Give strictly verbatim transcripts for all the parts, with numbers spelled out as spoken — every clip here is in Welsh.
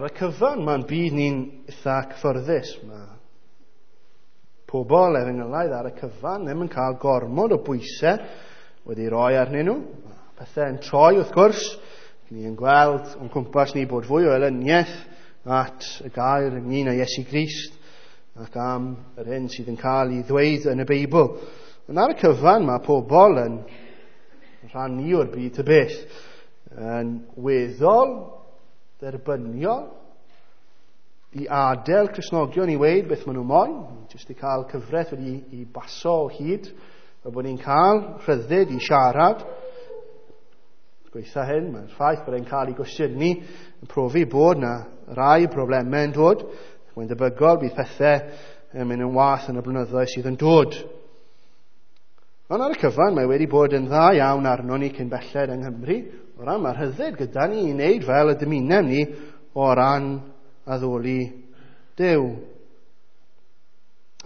Ar y cyfan, mae'n byd ni'n eitha cyffyrddus. Mae pobl efengylaidd ar y cyfan ddim yn cael gormod o bwysau wedi roi arnyn nhw. Mae pethau yn troi wrth gwrs. Ni yn gweld o'n cwmpas ni bod fwy o elyniaeth at y gair ynglyn â Iesu Grist ac am yr hyn sydd yn cael ei ddweud yn y Beibl. Ond ar y cyfan mae pobl yn rhan ni o'r byd y beth, yn weddol dderbyniol i adael Cristnogion i weud beth maen nhw moyn, jyst i cael cyfraith wedi i baso o hyd, fel bod ni'n cael rhyddid i siarad. Gweitha hyn, mae'r ffaith bod e'n cael ei gwestiynu yn profi bod na rai problemau yn dod. Mae'n debygol bydd pethau yn mynd yn wath yn y blynyddoedd sydd yn dod. Ond ar y cyfan, mae wedi bod yn dda iawn arno ni cyn belled yng Nghymru, o ran mae'r rhyddid gyda ni i wneud fel y dymunem ni o ran addoli Duw.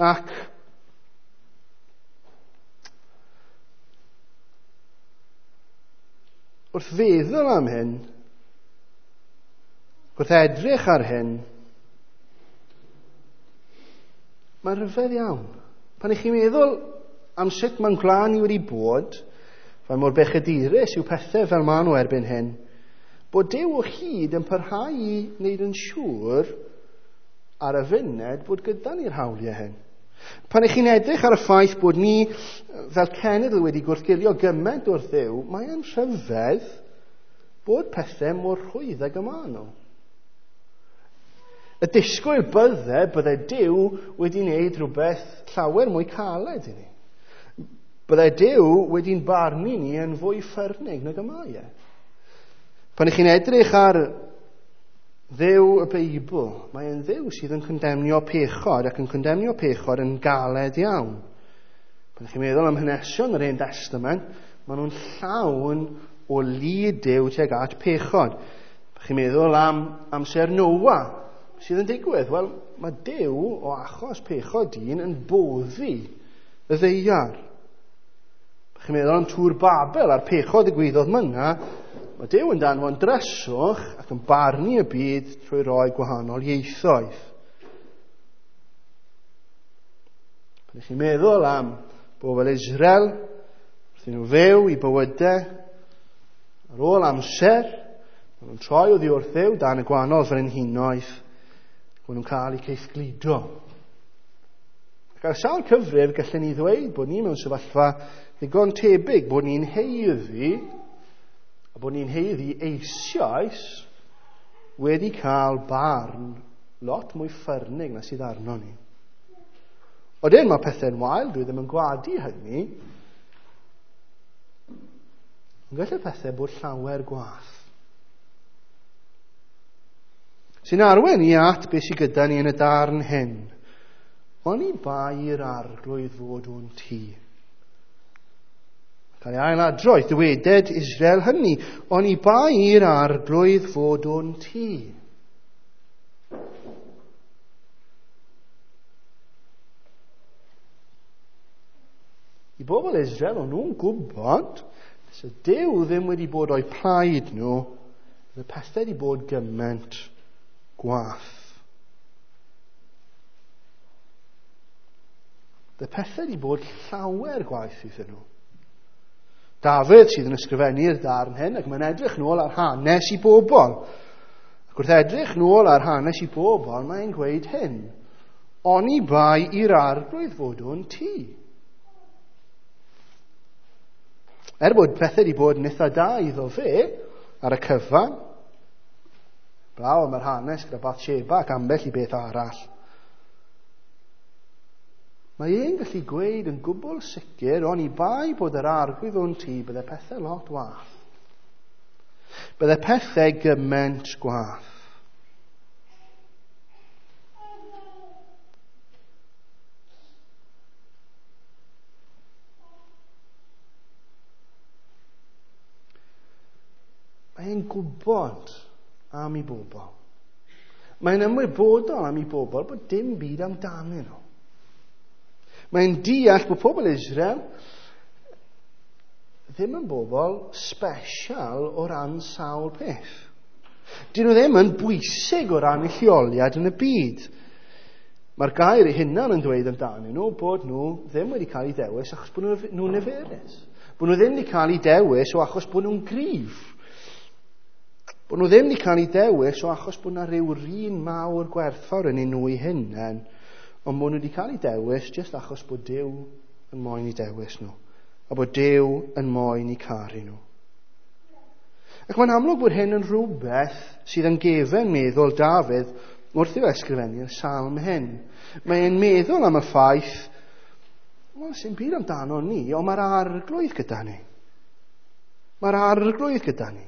Ac wrth feddwl am hyn, wrth edrych ar hyn, mae'n rhyfedd iawn. Pan ych chi'n meddwl am sut mae'n gwlad ni wedi bod, fel mor bechadurus yw pethau fel maen nhw erbyn hyn, bod Duw o hyd yn parhau i wneud yn siŵr ar y funud bod gyda ni'r hawliau hyn. Pan ych chi'n edrych ar y ffaith bod ni fel cenedl wedi gwrthgilio gymaint wrth Dduw, mae'n rhyfedd bod pethau mor rhwydd ag y maen nhw. Y disgwyl bydde, bydde Duw wedi wneud rhywbeth llawer mwy caled i ni. Bydde Duw wedi'n barnu ni yn fwy ffyrnig nag y mae e. Pan ych chi'n edrych ar Dduw y Beibl, mae'n Dduw sydd yn condemnio pechod ac yn condemnio pechod yn galed iawn. Pan ych chi'n meddwl am hanesion yr Hen Testament, maen nhw'n llawn o lid Duw tuag at pechod. Pan chi'n meddwl am amser Noa, sydd yn digwydd? Wel, mae Duw o achos pechod dyn yn boddi y ddaear. Pan chi'n meddwl am Tŵr Babel a'r pechod ddigwyddodd myna, mae Duw yn danfon dryswch ac yn barnu y byd trwy roi gwahanol ieithoedd. Pan ych chi'n meddwl am bobl Israel, wrth i nhw fyw i bywydau, ar ôl amser, maen nhw'n troi oddi wrth Dduw dan y gwahanol frenhinoedd, maen nhw'n cael eu caethgludo. Ac ar sawl cyfrif, gallen ni ddweud bod ni mewn sefyllfa ddigon tebyg, bod ni'n haeddu, a bod ni'n haeddu eisoes wedi cael barn lot mwy ffyrnig na sydd arno ni. Odyn, mae pethau'n wael, dwi ddim yn gwadu hynny. Ond gall y pethau bod llawer gwath. Sy'n arwain ni at beth sydd gyda ni yn y darn hyn. Oni bai i'r Arglwydd fod o'n tŷ. Cael ei ailadrodd, dyweded Israel hynny, oni bai i'r Arglwydd fod o'n tŷ. I bobl Israel, o'n nhw'n gwybod, so Duw ddim wedi bod o'i plaid nhw, y pethau wedi bod gymaint gwath. Y pethau wedi bod llawer gwaith iddyn nhw. Dafydd sydd yn ysgrifennu'r darn hyn, ac mae'n edrych nôl ar hanes i bobl. Ac wrth edrych nôl ar hanes i bobl, mae'n gweud hyn: oni bai i'r Arglwydd fod o'n tŷ. Er bod pethau wedi bod yn eitha da iddo fe ar y cyfan, blaw am yr hanes gyda Bathsheba ac ambell i beth arall, mae e'n gallu gweud yn gwbl sicr, oni bai bod yr Arglwydd o'n tŷ, bydde pethau lot wath. Bydde pethau gymaint gwath. Mae e'n gwybod am ei bobl. Mae'n ymwybodol am ei bobl bod dim byd amdanyn nhw. Mae'n deall bod pobl Israel ddim yn bobl special o ran sawl peth. Dyn nhw ddim yn bwysig o ran eu lleoliad yn y byd. Mae'r gair eu hunan yn dweud amdanyn nhw bod nhw ddim wedi cael eu dewis achos bod nhw'n niferus. Bod nhw ddim wedi cael eu dewis o achos bod nhw'n gryf. Bod nhw ddim wedi cael eu dewis o achos bod yna rhyw rin mawr gwerthfawr yn eu nhw eu hunain, ond bod nhw wedi cael eu dewis jyst achos bod Duw yn moyn eu dewis nhw, a bod Duw yn moyn eu caru nhw. Ac mae'n amlwg bod hyn yn rhywbeth sydd yn gefen meddwl Dafydd wrth i'w ysgrifennu'r salm hyn. Mae'n meddwl am y ffaith, wel, sy'n byd amdano ni, ond mae'r Arglwydd gyda ni. Mae'r Arglwydd gyda ni.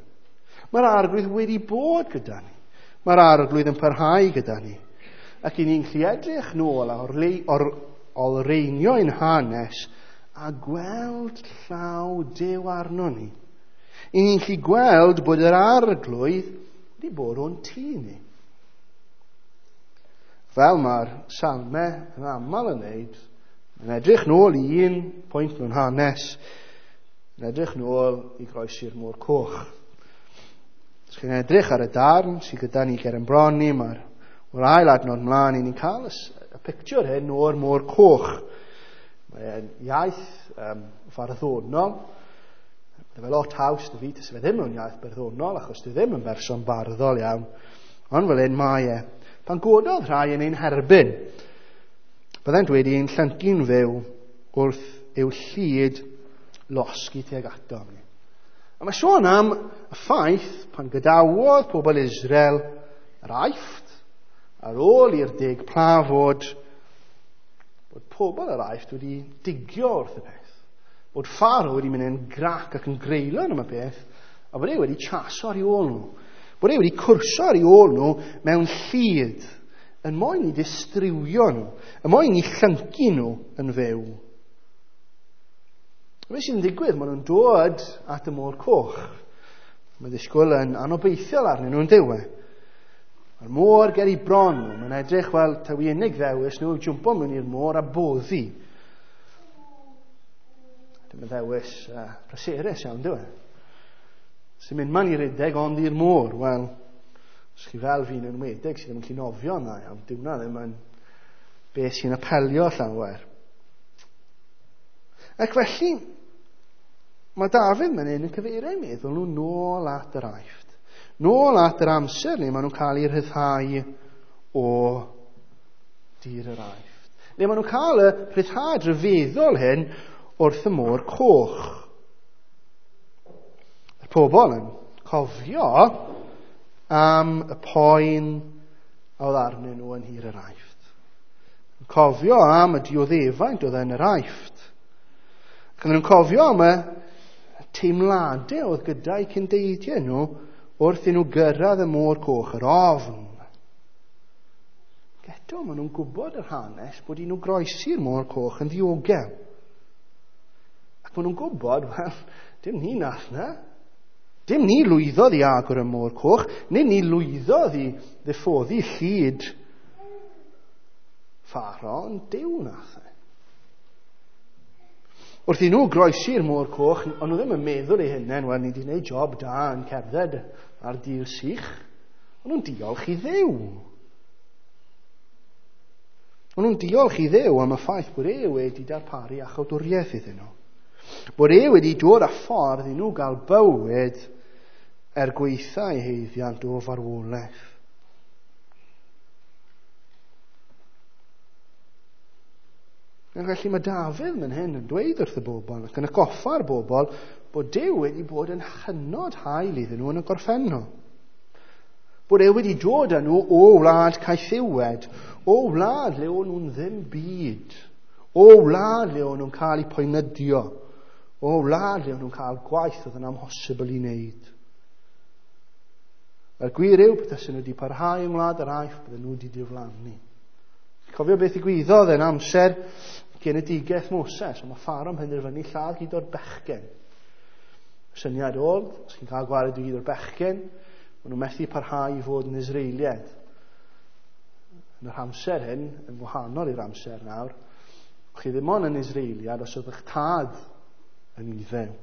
Mae'r Arglwydd wedi bod gyda ni. Mae'r Arglwydd yn parhau gyda ni. Ac i ni'n gallu edrych nôl a olreinio ein hanes a gweld llaw Duw arno ni. I ni'n gallu gweld bod yr Arglwydd wedi bod o'n tŷ ni. Fel mae'r salmau yn aml yn wneud, yn edrych nôl i un pwynt mewn hanes, yn edrych nôl i groesi'r Môr Coch. Os chi'n edrych ar y darn sydd gyda ni ger yn bron ni, mae'r o'r ail adnod mlaen, i ni'n cael y, y pictiwr hyn o'r Môr Coch. Mae'n iaith um, farddonol. Mae fe lot haws dy fi, tysa fe ddim mewn iaith barddonol, achos dwi ddim yn berson barddol iawn. Ond fel hyn mae e. Pan gododd rhai yn ein herbyn, byddent wedi ein llyncu'n fyw wrth i'w llid losgi tuag atom ni. A mae sôn am y ffaith pan gadawodd pobl Israel yr Aifft, ar ôl i'r deg pla fod, bod pobl yr Aifft wedi digio wrth y peth. Bod Pharaoh wedi mynd yn grac ac yn greulon am y peth, a bod e wedi chaso ar ei ôl nhw. Bod e wedi cwrso ar ei ôl nhw mewn llid, yn moyn i ddistrywio nhw, yn moyn i llyncu nhw yn fyw. A beth sy'n digwydd, maen nhw'n dod at y Môr Coch. Mae ddisgwyl yn anobeithiol arnyn nhw'n diwe. Mae'r môr ger eu bron nhw, mae'n edrych fel taw unig ddewis nhw yw jwmpo mewn i'r môr a boddi. Dim yn ddewis uh, pleserus iawn, dyw e? Sy'n mynd man i redeg ond i'r môr. Wel, os chi fel fi'n enwedig sydd ddim yn gallu nofio yna iawn, dyw hwnna ddim yn beth sy'n apelio llawer. Ac felly, mae Dafydd man hyn yn cyfeirio eu meddwl nhw nôl at yr Aifft. Nôl at yr amser le maen nhw'n cael eu rhyddhau o dir yr Aifft. Le maen nhw'n cael y rhyddhad rhyfeddol hyn wrth y Môr Coch. Y pobl yn cofio am y poen a oedd arnyn nhw yn nhir yr Aifft. Yn cofio am y dioddefaint oedd yn yr Aifft. Ac yn cofio am y teimladau oedd gyda'i cyndeidiau nhw wrth i nhw gyrraedd y Môr Coch, yr ofn. Ac eto, maen nhw'n gwybod yr hanes bod i nhw groesi'r Môr Coch yn ddiogel. Ac maen nhw'n gwybod, wel, dim ni nath na. Dim ni lwyddodd i agor y Môr Coch, neu ni lwyddodd i ddiffoddi llid Pharaoh, ond Duw nath e. Wrth i nhw groesi'r Môr Coch, ond nhw ddim yn meddwl eu hunain, wel, ni wedi gwneud job da yn cerdded ar dir sych. Ond nhw'n diolch i Dduw. Ond nhw'n diolch i Dduw am y ffaith bod e wedi darparu iachawdwriaeth iddyn nhw. Bod e wedi dod â ffordd i nhw gael bywyd er gwaetha eu haeddiant o farwolaeth. Ac felly mae Dafydd man hyn yn dweud wrth y bobl ac yn atgoffa'r bobl bod Duw wedi bod yn hynod hael iddyn nhw yn y gorffennol. Bod e wedi dod â nhw o wlad caethiwed, o wlad le o'n nhw'n ddim byd, o wlad le o'n nhw'n cael eu poenydio, o wlad le o'n nhw'n cael gwaith oedd yn amhosibl i wneud. A'r gwir yw, petasyn nhw wedi parhau yng ngwlad yr Aifft, bydden nhw wedi diflannu. Cofio beth ddigwyddodd yn amser genedigaeth Moses, ond mae Pharaoh yn penderfynu lladd gyd o'r bechgyn. Syniad oedd, os chi'n cael gwared i gyd o'r bechgyn, maen nhw methu parhau i fod yn Israeliad. Yn yr amser hyn, yn wahanol i'r amser nawr, chi ddim ond yn Israeliad os oedd eich tad yn Iddew.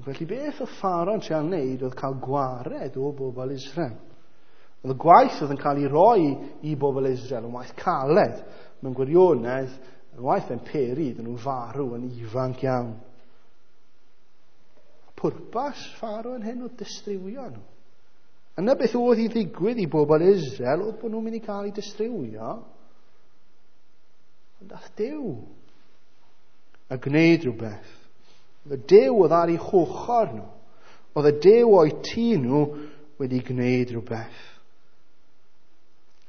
Felly beth oedd Pharaoh yn treial wneud oedd cael gwared o bobl Israel. Oedd y gwaith oedd yn cael ei roi i bobl Israel yn waith caled, mewn gwirionedd, yn waith yn peri iddyn nhw farw yn ifanc iawn. Pwrpas Pharaoh yn hyn oedd distrywio nhw. Yna beth oedd i ddigwydd i bobl Israel oedd bod nhw'n mynd i cael eu distrywio. Ond dath Duw a gwneud rhywbeth. Oedd y Duw oedd ar eu hochr nhw. Oedd y Duw o'u tŷ nhw wedi gwneud rhywbeth.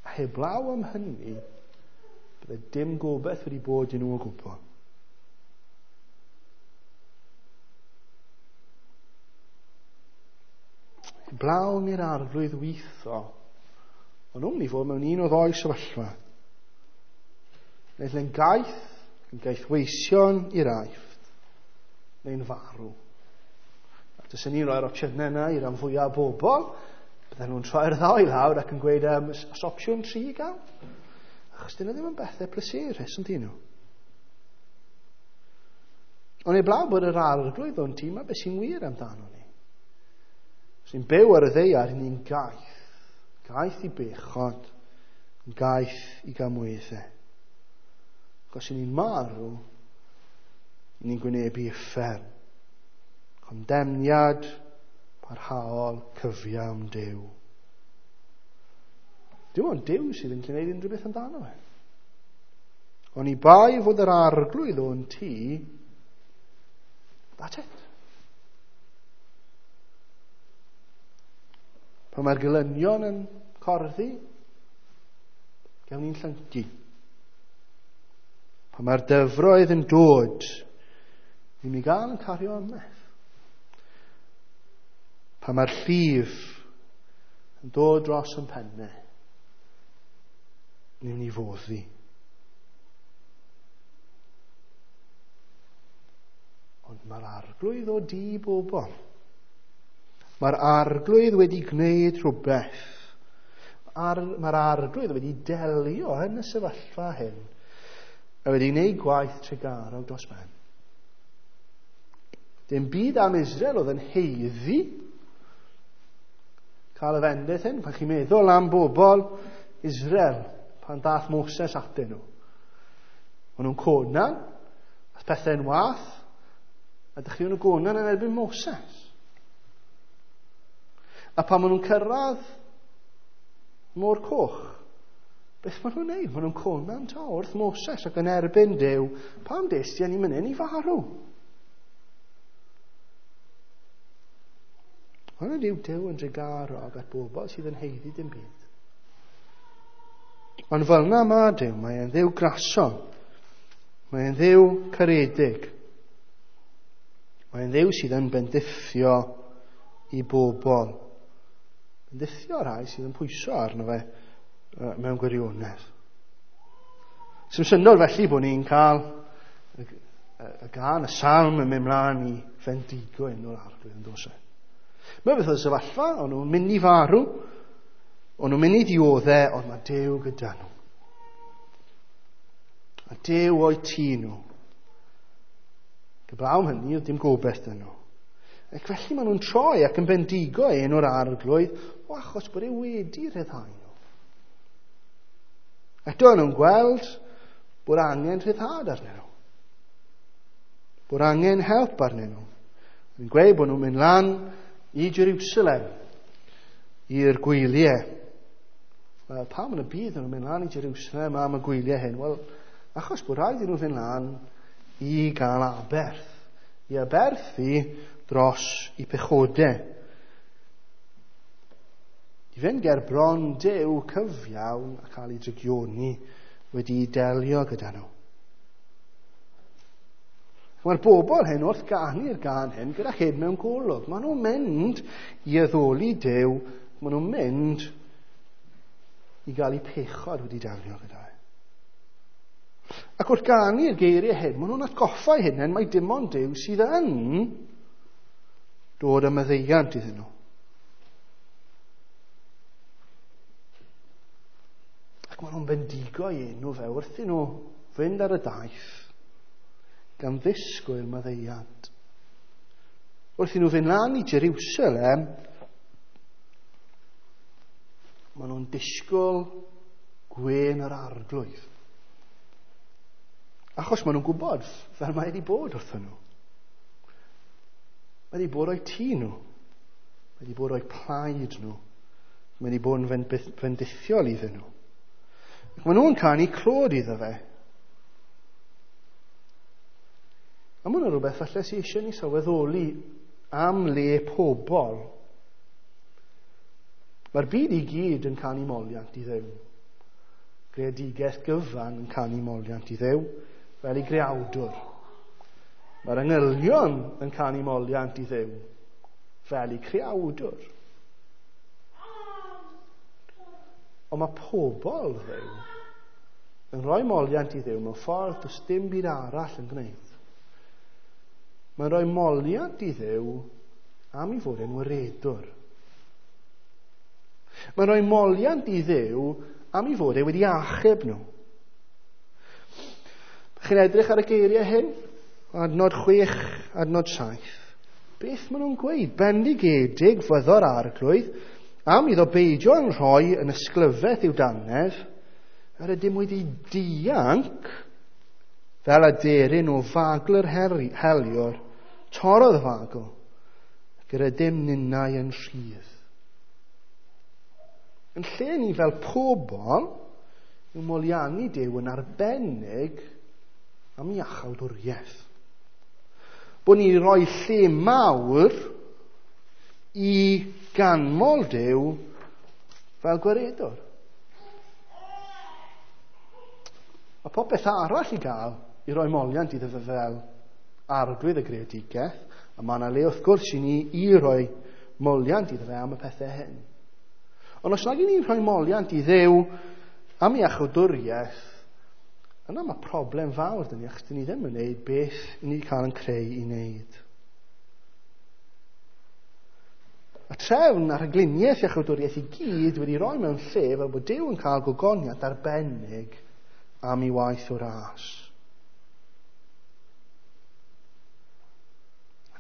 A heblaw am hynny, bydde dim gobaith wedi bod i nhw o gwbl. Heblaw am i'r Arglwydd weithio, o'n nhw'n mynd i fod mewn un o ddou sefyllfa. Neu yn gaeth, yn gaethweision i'r Aifft, neu'n farw. A dys ni'n rhoi'r opsiynau yna i ran fwyaf o bobl, bydden nhw'n troi'r ddau lawr ac yn gweud, um, os opsiwn tri i gael? Achos dyn nhw ddim yn bethau pleserus, yn dyn nhw. Ond heblaw bod yr Arglwydd o'n tîm, a beth sy'n wir amdano ni. Sy'n byw ar y ddaear, ni'n gaeth. Gaeth i bechod, gaeth i gamweddau. Achos ni'n marw, ni'n gwynebu uffern. Condemniad parhaol cyfiawn Duw. Dim ond Duw sydd yn gwneud unrhyw beth amdano fe. Oni bai fod yr Arglwydd o'n tŷ, that's it. Pan mae'r gelynion yn corddi, gawn ni'n llyncu. Pan mae'r dyfroedd yn dod, ni'n ei gael yn cario ymeth. Pan mae'r llif yn dod dros yn pennau, ni'n ei foddi. Ond mae'r Arglwydd o du bobl. Mae'r Arglwydd wedi gwneud rhywbeth. Ar, mae'r Arglwydd wedi delio yn y sefyllfa hyn a wedi gwneud gwaith trugarog dros ben. Dim byd am Israel oedd yn haeddu cael y fendith hyn. Pan chi'n meddwl am bobl Israel, pan dath Moses atyn nhw. O'n nhw'n conan, a pethau'n wath, a dechreuon nhw gonan yn erbyn Moses. A pan maen nhw'n cyrraedd Môr Coch, beth maen nhw'n neud? Maen nhw'n conan to wrth Moses ac yn erbyn Duw, pam des di ni mynd i farw? Ond yw Duw yn drugarog at bobl sydd yn haeddu dim byd. Ond fel yna mae Duw, mae e'n Dduw grason, mae e'n Dduw caredig, mae e'n Dduw sydd yn bendithio i bobl. Bendithio rhai sydd yn pwyso arno fe mewn gwirionedd. Sy'n syndod felly bod ni'n cael y, y, y gân, y salm yn mynd mlaen i fendigo enw'r Arglwydd yn does e. Mae beth oedd y sefyllfa, o'n nhw'n mynd i farw, o'n nhw'n mynd i dioddau, ond mae Duw gyda nhw. A Duw o'u tŷ nhw. Heblaw am hynny, oedd dim gobaith 'da nhw. Ac felly maen nhw'n troi ac yn bendigo enw'r Arglwydd, o achos bod e wedi rhyddhau nhw. Eto nhw'n gweld bod angen rhyddhad arnyn nhw. Bod angen help arnyn nhw. Yn gweud bod nhw'n mynd lan i Jerusalem, i'r gwyliau. Wel, pam yn y byd nhw'n mynd lan i Jerusalem am y gwyliau hyn? Wel, achos bod rhaid i nhw fynd lan i gael aberth. I aberthu dros i pechodau. I fynd ger bron Duw cyfiawn a cael ei drygioni wedi delio gyda nhw. Mae'r bobl hyn wrth ganu'r gân hyn gyda hyn mewn golwg. Maen nhw'n mynd i addoli Duw, maen nhw'n mynd i gael eu pechod wedi delio gyda e. Ac wrth ganu'r geiriau hyn, maen nhw'n atgoffa eu hunain mai dim ond Duw sydd yn dod â maddeuant iddyn nhw. Ac maen nhw'n bendigo ei enw fe wrth i nhw fynd ar y daith gan ddisgwyl maddeuant. Wrth i nhw fynd lan i Jerusalem, maen nhw'n disgwyl gwên yr arglwydd. Achos maen nhw'n gwybod fel mae wedi bod wrthyn nhw. Mae wedi bod o'i tŷ nhw. Mae wedi bod o'i plaid nhw. Mae wedi bod yn fendithiol iddyn nhw. Ac maen nhw'n canu clod iddo fe. A mae hwnna'n rhywbeth falle sydd eisiau ni sylweddoli am le pobl. Mae'r byd i gyd yn canu moliant i Dduw. Greadigaeth gyfan yn canu moliant i Dduw fel ei greawdwr. Mae'r angylion yn canu moliant i Dduw fel ei creawdwr. Ond mae pobl Dduw yn rhoi moliant i Dduw mewn ffordd does dim byd arall yn gwneud. Mae'n rhoi moliant i Dduw am ei fod e'n waredwr. Mae'n rhoi moliant i Dduw am ei fod e wedi achub nhw. Chi'n edrych ar y geiriau hyn? Adnod chwech, adnod saith. Beth maen nhw'n gweud? Bendigedig fyddo'r arglwydd am iddo beidio yn rhoi yn ysglyfaeth i'w dannedd, yr ydym wedi dianc fel aderyn o fagl yr heliwr, torrodd y fagl, ac yr ydym ninnau yn rhydd. Yn lle ni fel pobl, yw moliannu Duw yn arbennig am iachawdwriaeth. Bod ni'n rhoi lle mawr i ganmol Duw fel gwaredwr. Mae popeth arall i gael i roi moliant iddo fe fel arglwydd y greadigaeth, a mae yna le wrth gwrs i ni i roi moliant iddo fe am y pethau hyn. Ond os nag i ni'n rhoi moliant i Dduw am iachawdwriaeth, yna mae problem fawr dyn ni, achos dyn ni ddim yn gwneud beth ni wedi cael yn creu i wneud. A trefn a'r rhagluniaeth iachawdwriaeth i gyd wedi rhoi mewn lle fel bod Duw yn cael gogoniant arbennig am ei waith o ras.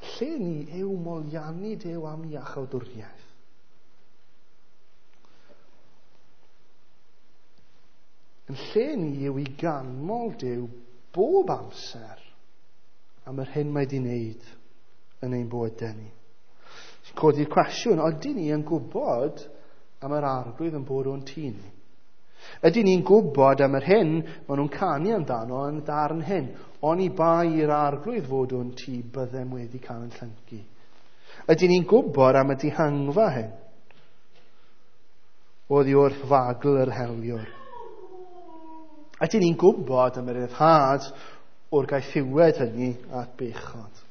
Lle ni yw moliannu Duw am iachawdwriaeth. Yn lle ni yw i ganmol Duw bob amser am yr hyn mae wedi wneud yn ein bywydau ni. Sy'n codi'r cwestiwn, ydyn ni yn gwybod am yr arglwydd yn bod o'n tŷ ni? Ydyn ni'n gwybod am yr hyn maen nhw'n canu amdano yn darn hyn? Oni bai i'r arglwydd fod o'n tŷ, byddem wedi cael yn llyncu. Ydyn ni'n gwybod am y dihangfa hyn? Oddi wrth fagl yr heliwr. Ydyn ni'n gwybod am yr ryddhad o'r gaethiwed hynny at bechod.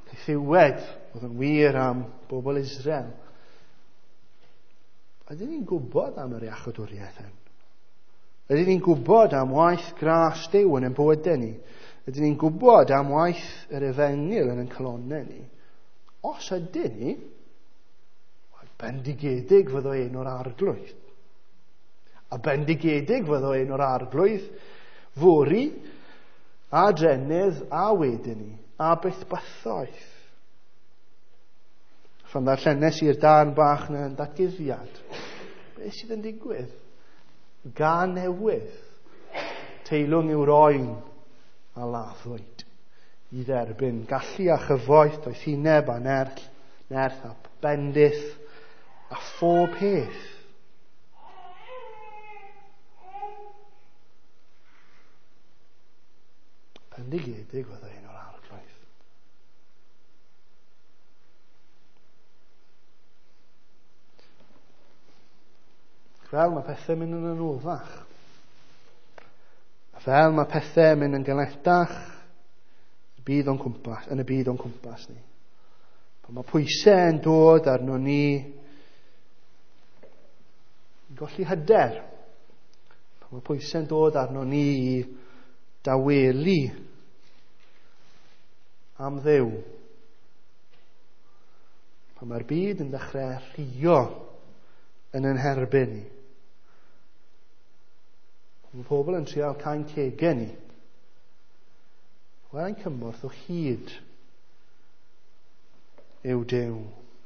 Gaethiwed oedd yn wir am bobl Israel. Ydyn ni'n gwybod am yr iachawdwriaeth hyn? Ydyn ni'n gwybod am waith gras Duw yn ein bywydau ni? Ydyn ni'n gwybod am waith yr efengyl yn ein calonnau ni? Os ydyn ni, bendigedig fyddo un o'r arglwydd. A bendigedig fyddo un o'r arglwydd fory a drennydd a wedyn ni, a byth bythoedd. Pan ddarllenes i'r darn bach na yn datguddiad, beth sydd yn digwydd? Gan newydd, teilwng yw'r oen a laddwyd i dderbyn gallu a chyfoeth, doethineb a nerth, nerth a bendith a phob peth. Bendigedig fydda un o'r arglwydd. Fel mae pethau'n mynd yn anoddach. Fel mae pethau'n mynd yn galetach byd o'n cwmpas, yn y byd o'n cwmpas ni. Pan mae pwysau yn dod arno ni, i golli hyder. Pan mae pwysau'n dod arno ni i dawelu am Dduw. Pan mae'r byd yn dechrau rhuo yn ein herbyn ni. Mae pobl yn trial cael cegau ni. Wel, ein cymorth o hyd yw Duw.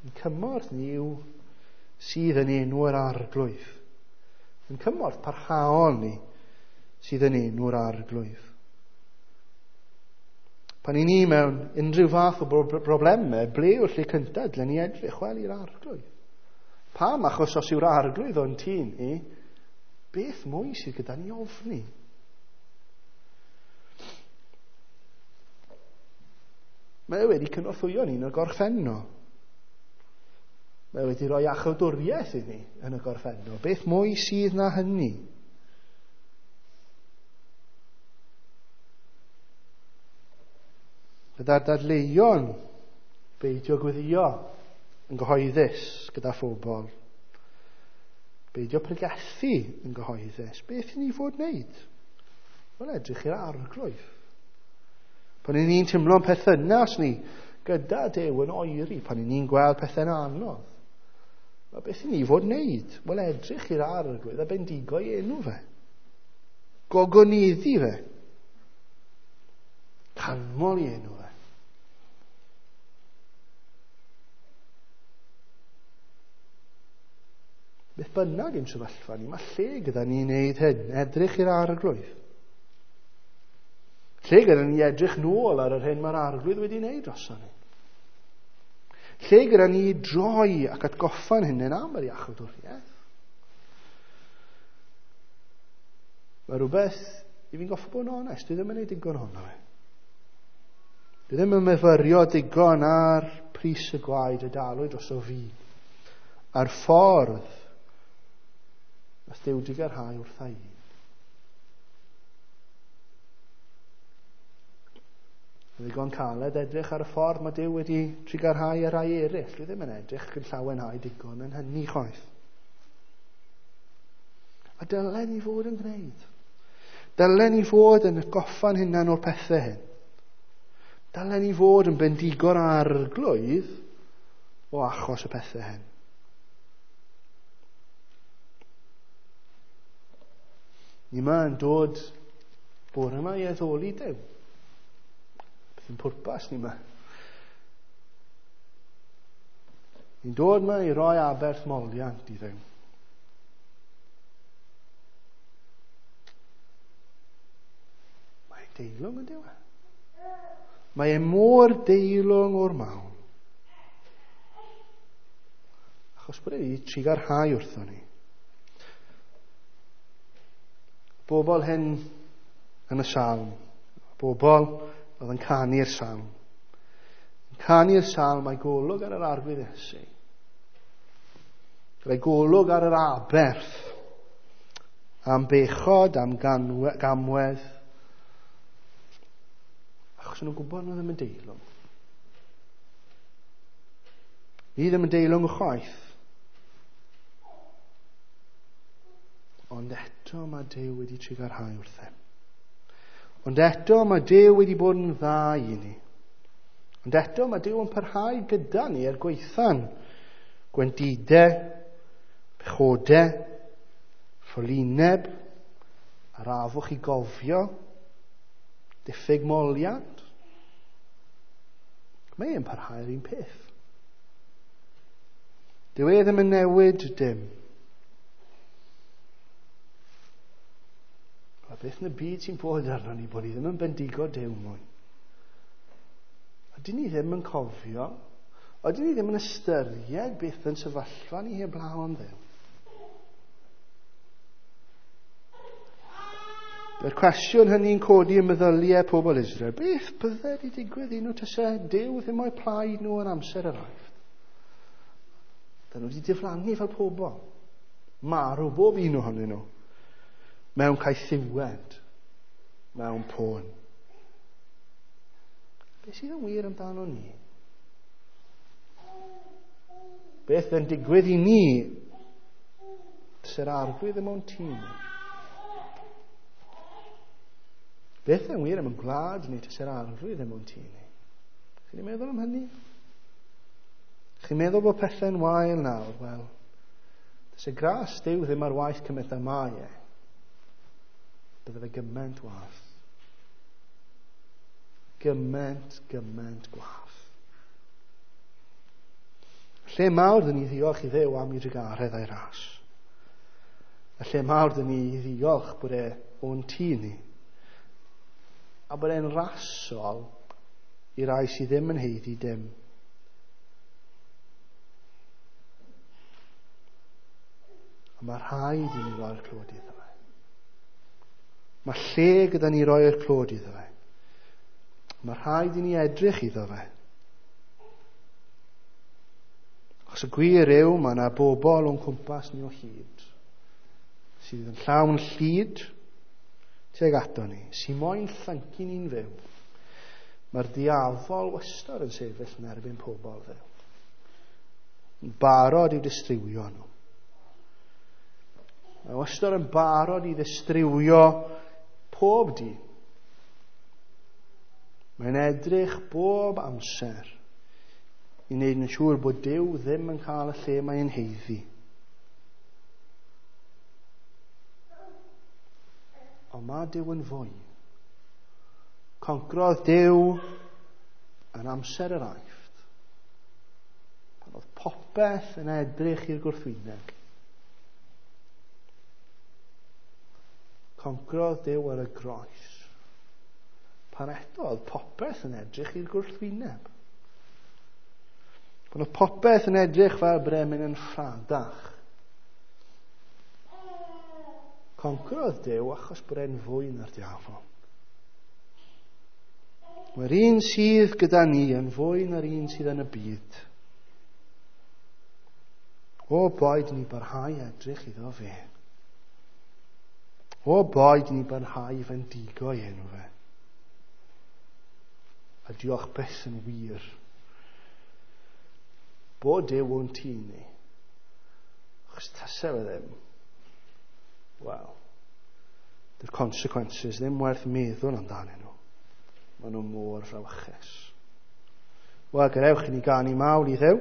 Ein cymorth ni yw sydd yn enw'r Arglwydd. Ein cymorth parhaol ni sydd yn enw'r Arglwydd. Pan i ni mewn unrhyw fath o broblemau, ble yw'r lle cyntaf dylen ni edrych? Wel, i'r Arglwydd. Pam? Achos os yw'r Arglwydd o'n tŷ ni, beth mwy sydd gyda ni ofni? Mae e wedi cynorthwyo ni yn y gorffennol. Mae e wedi rhoi iachawdwriaeth i ni yn y gorffennol. Beth mwy sydd na hynny? Gyda'r dadleuon, beidio gweddio yn gyhoeddus gyda phobl. Beidio pregethu yn gyhoeddus. Beth i ni fod wneud? Wel, edrych i'r Arglwydd. Pan i ni'n teimlo'n perthynas ni gyda Duw yn oeri, pan i ni'n gweld pethau'n anodd. Wel, beth i ni fod wneud? Wel, edrych i'r Arglwydd a bendigo i enw fe. Gogoneddu fe. Canmol i enw fe. Beth bynnag ein sefyllfa ni, mae lle gyda ni wneud hyn, edrych i'r Arglwydd. Lle gyda ni edrych nôl ar yr hyn mae'r Arglwydd wedi wneud droson ni. Lle gyda ni droi ac atgoffa'n hunain am yr iachawdwriaeth. Mae rhywbeth i fi'n goffa bod yn onest, dwi ddim yn gwneud digon ohono fe. Dwi ddim yn myfyrio digon ar pris y gwaed y dalwyd droso fi. A'r ffordd nath Duw digarhau wrtha i. Mae'n ddigon caled edrych ar y ffordd mae Duw wedi trugarhau ar rai eraill. Dwi ddim yn edrych yn llawenhau digon yn hynny chwaith. A dylen ni fod yn gwneud. Dylen ni fod yn atgoffa'n hunan o'r pethau hyn. Dylen ni fod yn bendigo'r Arglwydd o achos y pethau hyn. Ni yma yn dod bore yma i addoli Duw. Beth yw'n pwrpas ni yma? Ni'n dod yma i roi aberth moliant i Dduw. Mae'n deilwng yn dyw e. Mae e mor deilwng o'r mawn. Achos bod e wedi trugarhau wrthon ni. Bobl hyn yn y salm, bobl oedd yn canu'r salm. Yn canu'r salm, mae golwg ar yr Arglwydd Iesu. Gyda'i golwg ar yr aberth, am bechod, am ganwe, gamwedd. Achos nhw'n gwybod nhw ddim yn deilwng. Ni ddim yn deilwng o chwaith. Ond eto mae Duw wedi trugarhau wrthym. Ond eto mae Duw wedi bod yn dda i ni. Ond eto mae Duw yn parhau gyda ni er gwaetha'n gwendidau, pechodau, ffolineb, arafwch i gofio, diffyg moliant. Mae e'n parhau'r un peth. Dyw e ddim yn newid dim. A beth yn y byd sy'n bod arno ni bod ni ddim yn bendigo Duw mwy? Ydyn ni ddim yn cofio? Ydyn ni ddim yn ystyried beth yn sefyllfa ni heblaw am Dduw? Mae'r cwestiwn hynny'n codi yn meddyliau pobl Israel. Beth bydde wedi digwydd i nhw tase Duw ddim o'i plaid nhw yn amser yr Aifft? Dyn nhw wedi diflannu fel pobl. Marw bob un ohonyn nhw. Mewn caethiwed, mewn poen. Beth sydd yn wir amdano ni? Beth yn digwydd i ni sy'r Arglwydd ddim o'n tŷ ni? Beth yn wir am y gwlad ni sy'r Arglwydd ddim o'n tŷ ni? Chi'n meddwl am hynny? Chi'n meddwl bod pethau'n wael nawr? Wel, tase gras Duw ddim ar waith cymaint â mae e. Bydde fe gymaint wath. Gymaint, gymaint gwath. Lle mawr dyn ni ddiolch i Dduw am ei drugaredd a'i ras. A lle mawr dyn ni ddiolch bod e o'n tŷ ni. A bod e'n rasol i rai sydd ddim yn haeddu dim. A mae rhaid i ni roi'r clod iddo fe. Mae lle gyda ni roi'r clod iddo fe. Mae rhaid i ni edrych iddo fe. Achos y gwir yw, mae yna bobl o'n cwmpas ni o hyd sydd yn llawn llid tuag ato ni, sy'n moyn llyncu ni'n fyw. Mae'r diafol wastad yn sefyll yn erbyn pobl Dduw. Yn barod i'w distrywio nhw. Mae wastad yn barod i ddistrywio pob dyn. Mae'n edrych bob amser i wneud yn siŵr bod Duw ddim yn cael y lle mae'n haeddu. Ond mae Duw yn fwy. Concrodd Duw yn amser yr Aifft, pan oedd popeth yn edrych i'r gwrthwyneb. Concrodd Duw ar y groes, pan eto oedd popeth yn edrych i'r gwrthwyneb. Pan oedd popeth yn edrych fel bod e'n mynd yn ffradach. Concrodd Duw achos bod e'n fwy na'r diafol. Mae'r un sydd gyda ni yn fwy na'r un sydd yn y byd. O boed ni barhau edrych iddo fe. O boed ni barhau fendigo i enw fe. A diolch byth yn wir bod Duw o'n tŷ ni. Achos tase fe ddim, wel, the consequences ddim werth meddwl amdanyn nhw. Maen nhw mor frawychus. Wel, gadewch i ni ganu mawl i Dduw.